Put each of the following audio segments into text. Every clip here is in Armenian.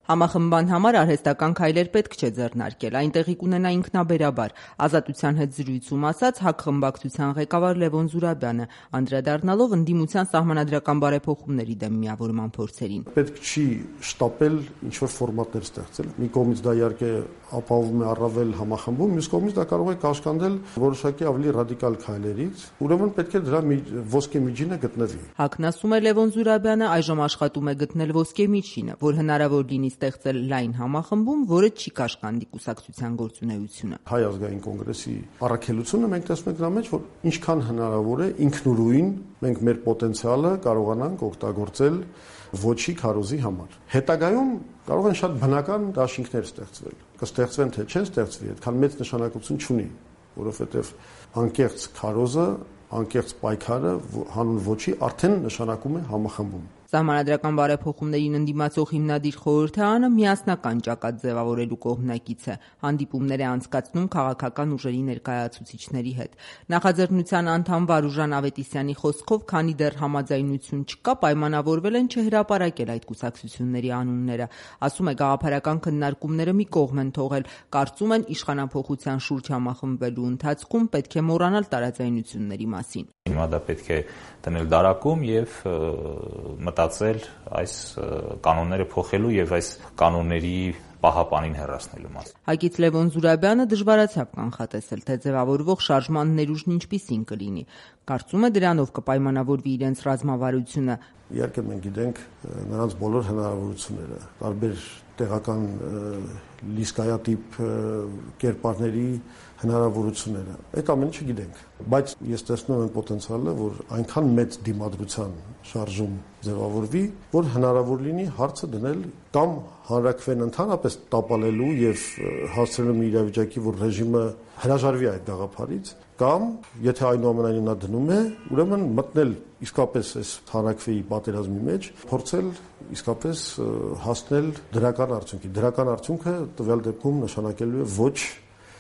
Համախմբան համար արհեստական քայլեր պետք չէ ձեռնարկել, այն տեղի կունենա ինքնաբերաբար, Ազատության հետ զրույցում ասաց ՀԱԿ խմբակցության ղեկավար Լևոն Զուրաբյանը, անդրադառնալով ընդդիմության սահմանադրական բարեփոխումների դեմ միավորման փորձերին։ Պետք չի շտապել ինչ-որ ֆորմատներ ստեղծել։ Մի կողմից դա իհարկե ապահովում է առավել համախմբում, մյուս կողմից դա կարող է կաշկանդել որոշակի ավելի ռադիկալ քայլերից, ուրեմն պետք է դրա ոսկե միջինը գտնվի։ ՀԱԿ-ն ասում է Լևոն Զուրաբյանը այժմ աշխատում է գտնել ոսկե միջինը, որ հնարավոր լինի ստեղծել լայն համախմբում, որը չի կաշկանդի կուսակցության գործունեությունը։ Հայ ազգային կոնգրեսի առաքելությունը մենք տեսնում ենք նրա մեջ, որ ինչքան հնարավոր է ինքնուրույն մենք մեր պոտենցիալը կարողանանք օգտագործել ոչի քարոզի համար։ Հետագայում կարող են շատ բնական դաշինքներ ստեղծվել։ Կստեղծվեն թե չեն ստեղծվի, այդքան մեծ նշանակություն չունի, որովհետև անկեղծ քարոզը, անկեղծ պայքարը հանուն ոչի արդեն նշանակում է համախմբում։ Սահմանադրական բարեփոխումներին ընդդիմացող հիմնադիր խորհրդարանը միասնական ճակատ ձևավորելու կողմնակից է, հանդիպումներ է անցկացնում քաղաքական ուժերի ներկայացուցիչների հետ։ Նախաձեռնության անդամ Վարուժան Ավետիսյանի խոսքով, քանի դեռ համաձայնություն չկա, պայմանավորվել են չհրապարակել այդ կուսակցությունների անունները։ Ասում է, գաղափարական քննարկումները մի կողմ են թողել, կարծում են իշխանափոխության շուրջ համախմբվելու ընթացքում պետք է մոռանալ տարաձայնությունների մասին։ Հիմա դա պետք է դնել դարակում եւ մտածել այս կանոնները փոխելու եւ այս կանոնների պահապանին հեռացնելու մասին։ ՀԱԿ-ից Լևոն Զուրաբյանը դժվարացավ կանխատեսել, թե ձևավորվող շարժման ներուժն ինչպիսին կլինի։ Կարծում է դրանով կպայմանավորվի իրենց ռազմավարությունը։ Իհարկե մենք գիտենք նրանց բոլոր հնարավորությունները, տարբեր տեղական լիսկայատիպ կերպարների հնարավորությունները։ Այդ ամենը չգիտենք, բայց ես տեսնում եմ պոտենցիալը, որ այնքան մեծ դիմադրության շարժում ձևավորվի, որ հնարավոր լինի հարցը դնել կամ հանրաքվեն ընդհանրապես տապալելու եւ հասցնելու մի իրավիճակի, որ ռեժիմը հրաժարվի այդ գաղափարից, կամ եթե այնուամենայնիվ նա դնում է, ուրեմն մտնել իսկապես այս հանրաքվեի պատերազմի մեջ, փորձել իսկապես հասնել դրական արդյունքի։ Դրական արդյունքը տվյալ դեպքում նշանակելու է ոչ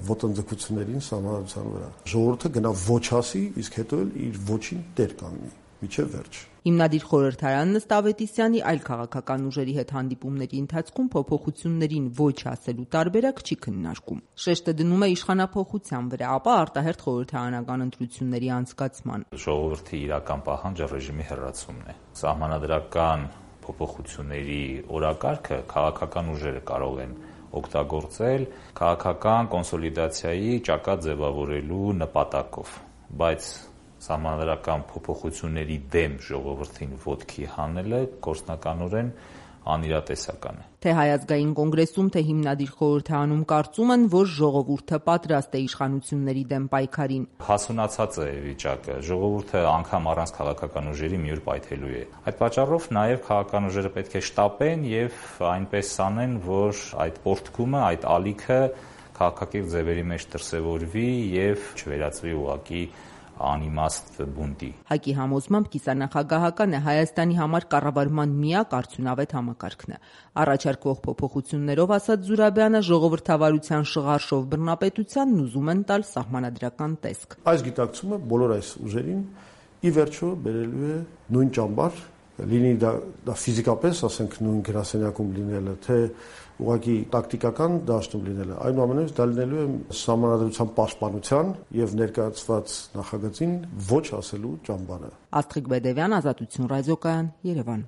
ոտնձգություններին սահմանադրության վրա։ Ժողովուրդը գնա ոչ ասի, իսկ հետո էլ իր ոչին տեր կանգնի միջև վերջ։ Հիմնադիր խորհրդարանն ըստ Ավետիսյանի այլ քաղաքական ուժերի հետ հանդիպումների ընթացքում փոփոխություններին ոչ ասելու տարբերակ չի քննարկում։ Շեշտը դնում է իշխանափոխության վրա, ապա արտահերթ խորհրդարանական ընտրությունների անցկացման։ Ժողովրդի իրական պահանջը ռեժիմի հեռացումն է։ Սահմանադրական փոփոխությունների օրակարգը քաղաքական ուժերը կարող են օգտագործել քաղաքական կոնսոլիդացիայի ճակատ ձևավորելու նպատակով, բայց սահմանադրական փոփոխությունների դեմ ժողովրդին ոտքի հանելը գործնականորեն անիրատեսական է։ Թե Հայ ազգային կոնգրեսում, թե հիմնադիր խորհրդարանում կարծում են, որ ժողովուրդը պատրաստ է իշխանությունների դեմ պայքարին։ Հասունացած է վիճակը, ժողովուրդը անգամ առանց քաղաքական ուժերի մի օր պայթելու է։ Այդ պատճառով նաև քաղաքական ուժերը պետք է շտապեն եւ այնպես անեն, որ այդ պորտկումը, այդ ալիքը քաղաքակիրթ ձևերի մեջ դրսևորվի եւ չվերածվի ուղղակի անիմաստ բունտի։ ՀԱԿ-ի համոզմամբ կիսանախագահական է Հայաստանի համար կառավարման միակ արդյունավետ համակարգն է։ Առաջարկվող փոփոխություններով, ասաց Զուրաբյանը, ժողովրդավարության շղարշով բռնապետությանն ուզում են տալ սահմանադրական տեսք։ Այս գիտակցումը բոլոր այս ուժերին ի վերջո բերելու է նույն ճամբար, լինի դա ֆիզիկապես, ասենք, նույն գրասենյակում լինելը, թե ուղղակի տակտիկական դաշտում լինելը, այնուամենայնիվ դա լինելու է սահմանադրության պաշտպանության եւ ներկայացված նախագծին ոչ ասելու ճամբարը։ Աստղիկ Բեդևյան, Ազատություն ռադիոկայան, Երևան։